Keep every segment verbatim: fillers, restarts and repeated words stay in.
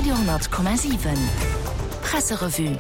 Radio honnert Komma siwen Presserevue.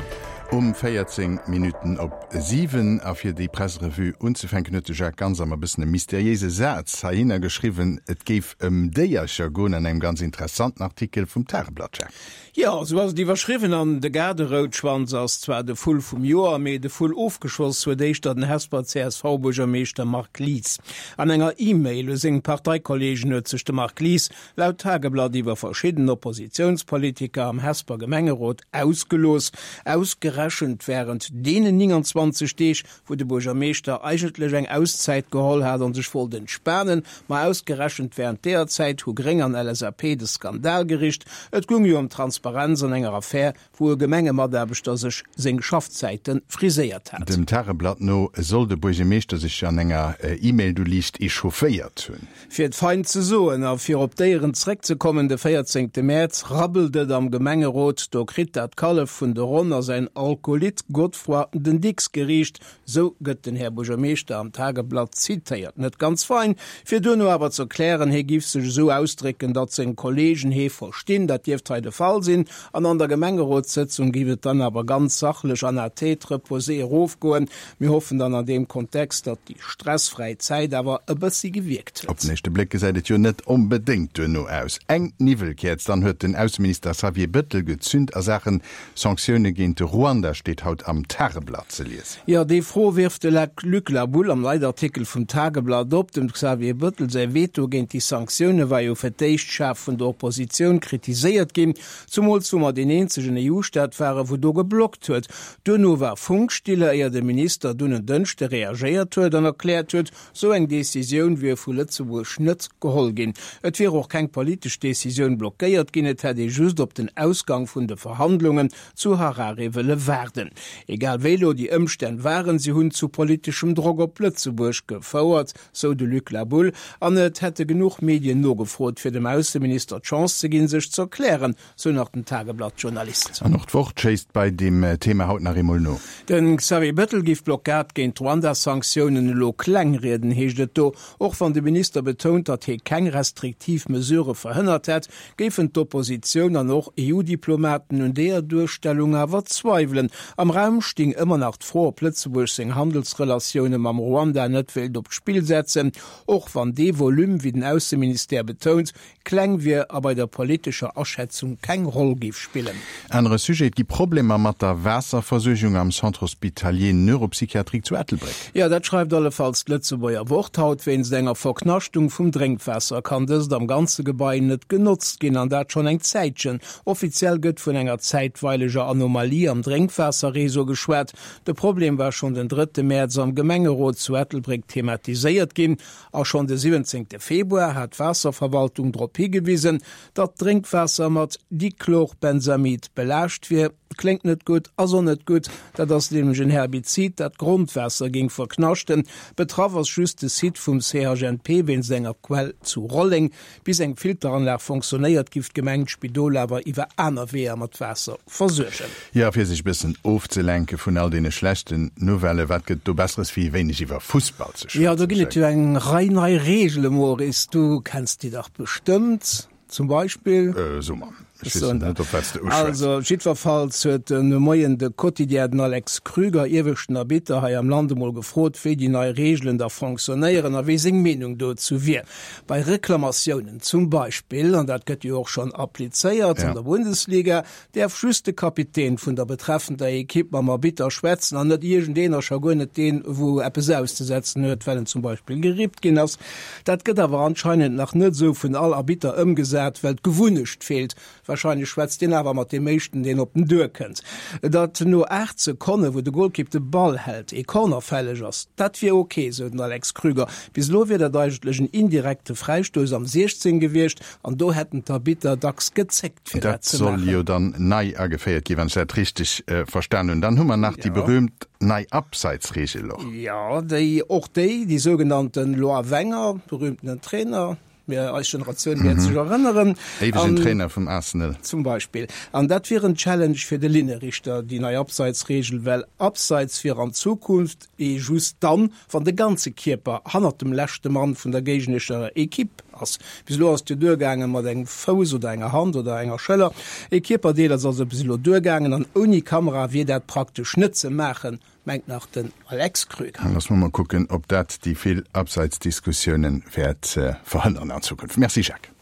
Um véierzéng Minutten op siwen a fir déi Presserevue unzefänken huet de Jacques Ganser e bëssen e mysteriéise Saz heihinner geschriwwen, et géif ëm Déiercher goen an engem ganz interessanten Artikel vum Tageblatt, Jacques. Jo, esou ass et iwwerschriwwen an de Gaarderoutschwanz ass zwar de Vull vum Joer, mee de Vull ofgeschoss huet éischter den Hesper C S V-Buergermeeschter Marc Lies. An enger E-Mail u seng Parteikolleegen huet sech de Marc Lies laut Tageblatt iwwer verschidden Oppositiounspolitiker am Hesper Gemengerot ausgelooss. Ausgerechent wärend deenen nénganzwanzeg Deeg, wou de Buergermeeschter eigentlech eng Auszäit geholl hat an sech wollt entspanen, ma ausgerechent wärend deeër Zäit hu Gréng an L S A P de Skandal gericht. Et goung jo ëm Transparenz an enger Affär, wou e Gemengemataarbechter sech seng Schaffzäite friséiert hat. Dem Tageblatt no soll de Buergermeeschter sech an enger E-Mail du liicht echaufféiert hunn. Fir et fein ze soen a fir op d'Déieren zréckzekommen, de véierzéngte Mäerz rabbelt et am Gemengerot, do kritt dat Kallef vun de Ronn a säin Alkolit Godefroid den Dicks geriicht, sou gëtt den Här Buergermeeschter am Tageblatt zitéiert. Net ganz fein, fir duerno awer z'erklären, hie giff sech esou ausdrécken, datt seng Kollegen hie verstinn, dat dierft hei de Fall sinn, an an der Gemengerotssëtzung giff et dann awer ganz sachlech an à tête reposée erofgoen. Mir hoffen dann an deem Kontext, datt déi stressfräi Zäit awer e bëssi gewierkt Op huet. den éischte Bléck gesäit et jo net onbedéngt duerno aus. Eng Niwwelkäerz dann huet den Ausseminister Xavier Bëttel gezünt a Saachen Sanktioune géint de Ruanda, steet haut am Tageblatt ze liesen. Jo, déi Fro wierft de Luc Laboulle am Leitartikel vum Tageblatt op. Dem Xavier Bëttel säi Veto géint déi Sanktioune war jo fir d'éischt schaarf vun der Oppositioun kritiséiert ginn, zumools wou mer deen eenzegen E U-Staat waren, wou do geblockt huet. Duerno war Funkstille, éier de Minister dunn en Dënschde reagéiert huet an erkläert huet, sou eng Decisioun wier vu Lëtzebuerg net geholl ginn. Et wier och keng politesch Decisioun blockéiert ginn, et hätt ee just op den Ausgang vun de Verhandlungen zu Harare wëlle waarden. Egal wéi elo déi Ëmstänn waren, si hunn zu politeschem Drock op Lëtzebuerg gefouert, sou de Luc Laboulle, an et hätte genuch Medien nogefrot, fir dem Ausseminister d'Chance ze ginn, sech z'erklären, sou nach den Tageblatt-Journalist. An och d'Wort schéisst bei deem Thema haut nach eemol no. De Xavier Bettel giff d'Blockad géint d'Ruanda-Sanktiounen elo klengrieden, heescht et do. Och wann de Minister betount, datt hie keng restriktiv Mesurë verhënnert hätt, géifen d'Oppositioun an och E U-Diplomaten un deeër Duerstellung awer zweiwelen. Am Raum sting ëmmer nach d'Fro, ob Lëtzebuerg seng Handelsrelatioune mam Ruanda net wéilt op d'Spill setzen, och wann dee Volume, wéi den Ausseministère betount, kleng wier a bei der politescher Aschätzung keng Roll géif spillen. Anere Sujet, Et gi Problemer mat der Waasserversuergung am Centre hospitalier neuropsychiatrique zu Ettelbréck. Jo, dat schreift allefalls d'Lëtzebuerger Wort haut. Wéinst enger Verknaschtung vum Drénkwaasser kann dëst am ganze Gebai net genotzt ginn, an dat schonn eng Zäitchen. Offiziell gëtt vun enger zäitweileger Anomalie am Drénkwaasserreseau geschwat. De Problem war schonn den drëtte Mäerz am Gemengerot zu Ettelbréck thematiséiert ginn a schonn de siwwenzéngte Februar hat d'Waasserverwaltung drop higewisen, datt d'Drénkwaasser mat Dichlorbenzamid belaascht wier. Kléngt net gutt, ass och net gutt, dat ass nämlech en Herbizid, dat d'Grondwaasser géing verknaschten. Betraff ass just de Site vum C H N P wéinst enger Quell zu Rolleng. Bis eng Filteranlag fonctionnéiert, giff d'Gemeng d'Spidol awer iwwer aner Weeër mat Waasser versuergen. Jo, fir sech e bëssen ofzelenke vun all deene schlechten Nouvellen, wat gëtt do Besseres wéi e wéineg iwwer Fussball ze Jo, do schwätzen, ginn et Jacques? jo eng Rei nei Reegele, Maurice, du kenns déi dach bestëmmt, zum Beispill? Äh, so mer. Ech Ech weess soen der. net, op wat s de uschwätz. Also, jiddwerfalls huet de Moien de Quotidien den Alex Krüger, ieweschten Arbitter hei am Land, emol gefrot, wéi déi nei Reegelen da fonctionnéieren a wéi seng Meenung dozou wier. Bei Reklamatiounen zum Beispill, an dat gëtt jo och schonn applizéiert an Ja. der Bundesliga, däerf just de Kapitän vun der betreffender Ekipp mam Arbitter schwätzen an net iergendeen a scho guer net deen, wou eppes auszesetzen huet, well en zum Beispill gerippt ginn ass. Dat gëtt awer anscheinend nach net esou vun all Arbitter ëmgesat, well d'Gewunnecht feelt. Wahrscheinlech schwätzt deen awer mat deem éischten, deen op den Duer kënnt. Datt no aacht Sekonne, wou de Golkipp de Ball hält, ee Corner fälleg ass, dat wier ok, sou den Alex Krüger. Bis elo wier dat eigentlech en indirekte Fräistouss am siechzéng gewiescht an do hätten d'Arbitter dacks gezéckt, fir dat Dat ze soll maachen. jo dann nei ageféiert ginn, wann ech dat richteg verstan hunn. Dann hu mer nach déi berühmt nei Abseitsregel och. Jo, déi, och déi, déi sougenannten Loi Wenger, berühmtenen Trainer, Mir, eis Generatioun wäert sech erënneren. Éiwegen Trainer vum Arsenal. Zum Beispill. An dat wier en Challenge fir de Linnerichter, déi nei Abseitsregel, well Abseits wier an Zukunft ee just dann, wann de ganze Kierper hannert dem leschte Mann vun der géignerescher Ekipp ass. Bis elo ass et jo duergaangen, mat engem Fouss oder enger Hand oder enger Schëller. Ee Kierperdeel ass also bis elo duergaangen an ouni Kamera wier dat praktesch net ze maachen, mengt nach den Alex Kröger. Loosse mer mol kucken, ob dat déi vill Abseitsdiskussiounen wäert verhënneren an Zukunft. Merci Jacques.